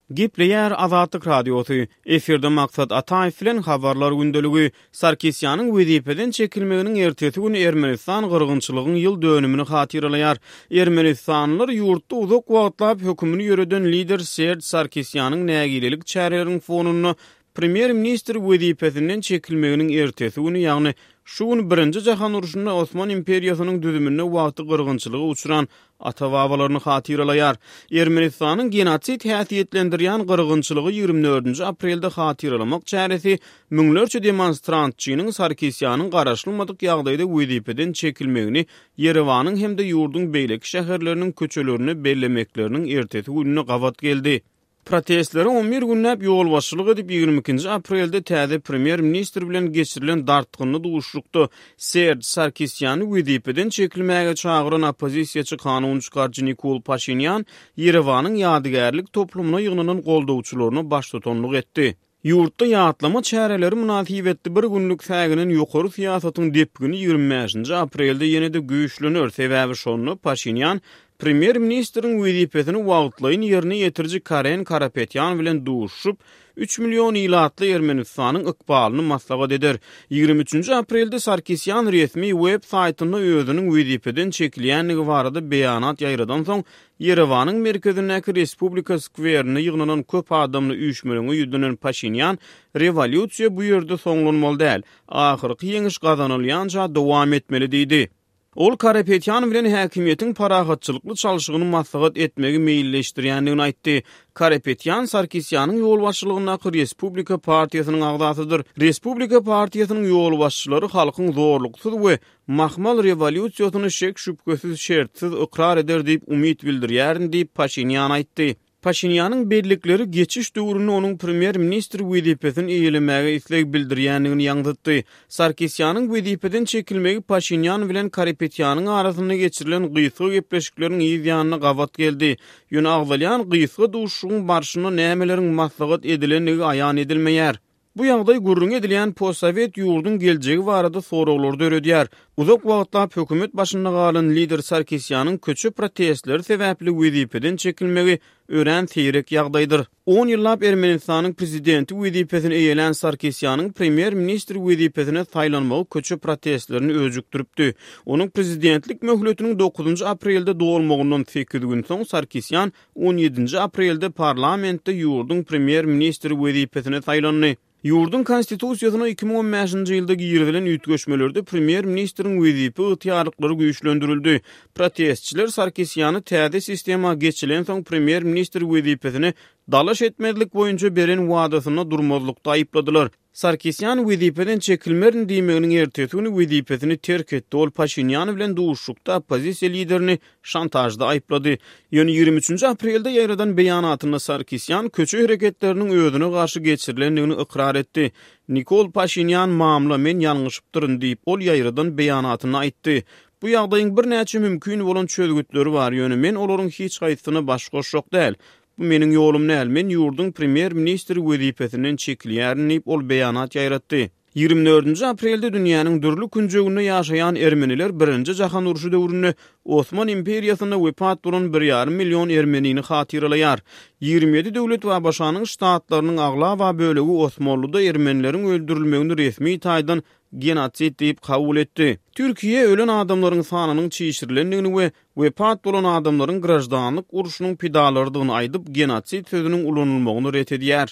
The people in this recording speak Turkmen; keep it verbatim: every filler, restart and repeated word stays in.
Gepleýär Azatlyk Radiosy. Efirde Maksat Ataýew bilen Habarlar gündeligi. Sarkisýanyň wezipeden çekilmeginiň ertesi güni Ermenistan gyrgynçylygyň ýyl dönümini hatyralaýar. Ermenistanlylar ýurtda uzak wagtlap hökümini ýöreden lider Serj Sarkisýanyň nägilelik çäreleriniň fonunda premýer-ministr wezipesinden çekilmeginiň ertesi güni, ýagny şu gün Birinji Jahan urşunda Osman imperiýasynyň düzüminde wagty gyrgynçylyga uçran ata-babalaryny hatyralaýar. Ermenistanyň genosid häsiýetlendirýän gyrgynçylygy ýigrimi dördünji aprelde hatyralamak çäresi müňlerçe demonstrantçynyň Sarkisýanyň garaşylmadyk ýagdaýda wezipeden çekilmegini Ýerewanyň hem-de ýurduň beýleki şäherleriniň köçelerinde bellemekleriniň ertesi gününe gabat geldi. Protestlere on bir günläp ýolbaşçylyk edip, ýigrimi ikinji aprelde täze premýer-ministr bilen geçirilen dartgynly duşuşykda Serj Sarkisýany wezipeden çekilmäge çagyran oppozisiýaçy kanun çykaryjy Nikol Paşinýan Ýerewanyň ýadygärlik toplumyna ýygnanan goldawçylaryna baştutanlyk etdi. Ýurtda ýatlama çäreleri mynasybetli bir günlük säginen ýokary syýasatyň depgini ýigrimi bäşinji aprelde ýene-de güýçlener, sebäbi şonda Paşinýan premýer-ministriň wezipesini wagtlaýyn ýerine ýetiriji Karen Karapetýan bilen duşuşyp, üç million ilatly Ermenistanyň ykbalyny maslahat eder. Ýigrimi üçünji aprelde Sarkisýan resmi web saýtynda özüniň wezipeden çekilýändigi barada beýanat ýaýradan soň, Ýerewanyň merkezindäki Respublika skwerinde ýygnanan köp adamly üýşmeleňe ýüzlenen Paşinýan, Rewolýusiýa bu ýerde soňlanmaly däl, ahyrky ýeňiş gazanylýança dowam etmeli diýdi. Ol Karapetýan bilen häkimiýetiň parahatçylykly çalşygyny maslahat etmegi meýilleşdirýändigini aýtdy. Karapetýan Sarkisýanyň ýolbaşçylygyndaky Respublika partiýasynyň agzasydyr. Respublika partiýasynyň ýolbaşçylary halkyň zorluksyz we mahmal rewolýusiýasyny şek-şübhesiz şertsiz ykrar eder diýip umyt bildirýärin diýip Paşinýan aýtdy. Paşinýanyň bellikleri geçiş döwründe onuň premýer-ministr wezipesini eýelemäge isleg bildirýändigini ýaňzytdy. Sarkisýanyň wezipeden çekilmegi Paşinýan bilen Karapetýanyň arasynda geçirilen gysga gepleşikleriň yz ýanyna gabat geldi. Ýöne agzalýan gysga duşuşygyň barşynda nämeleriň maslahat edilendigi aýan edilmeýär. Bu ýagdaý gürrüň edilýän postsowet ýurduň geljegi barada soraglary döredýär. Uzak wagtlap hökümet başynda galan lider Sarkisýanyň köçe protestleri sebäpli wezipeden çekilmegi örän seýrek ýagdaýdyr. On ýyllap Ermenistanyň prezidenti wezipesini eýelän Sarkisýanyň premýer-ministr wezipesine saýlanmagy köçe protestlerini öjükdiripdi. Onuň prezidentlik möhletiniň dokuzynjy aprelde dolmagyndan sekiz gün soň Sarkisýan on ýedinji aprelde parlamentde ýurduň premýer-ministri wezipesine saýlandy. Ýurduň konstitusiýasyna iki müň on bäşinji ýylda girizilen üýtgeşmelerde premýer-ministriň wezipe ygtyýarlyklary güýçlendirildi. Protestçiler Sarkisýany täze sistema geçilensoň premýer-ministr wezipesine dalaş etmezlik boýunça beren wadasynda durmazlykda aýypladylar. Sarkisýan wezipeden çekilmerin diýmeginiň ertesi güni wezipesini terk etdi. Ol Paşinýan bilen duşuşykda oppozisiýa liderini şantajda aýyplady. Ýöne ýigrimi üçünji aprelde ýaýradan beýanatynda Sarkisýan köçe hereketleriniň özüne garşy geçirilendigini ykrar etdi. Nikol Paşinýan mamla, men ýalňyşypdyryn diýip, ol ýaýradan beýanatynda aýtdy. Bu ýagdaýyň birnäçe mümkin bolan çözgütleri bar, ýöne men olaryň hiç haýsysyna baş goşjak däl. Bu meniň ýolum däl, men ýurduň premýer-ministri wezipesinden çekilýärin diýip, ol beýanat ýaýratdy. Ýigrimi dördünji aprelde dünýäniň dürli künjeginde ýaşaýan ermeniler Birinji Jahan urşy döwründe Osman imperiýasynda wepat bolan bir ýarym million ermenini hatyralaýar. Ýigrimi ýedi döwlet we ABŞ-nyň ştatlarynyň aglaba bölegi Osmanlyda ermenileriň öldürilmegini resmi taýdan genosid diýip kabul etdi. Türkiýe ölen adamlaryň sanynyň çişirilendigini we wepat bolan adamlaryň graždanlyk urşunyň pidalarydygyny aýdyp, genosid sözüniň ulanylmagyny ret edýär.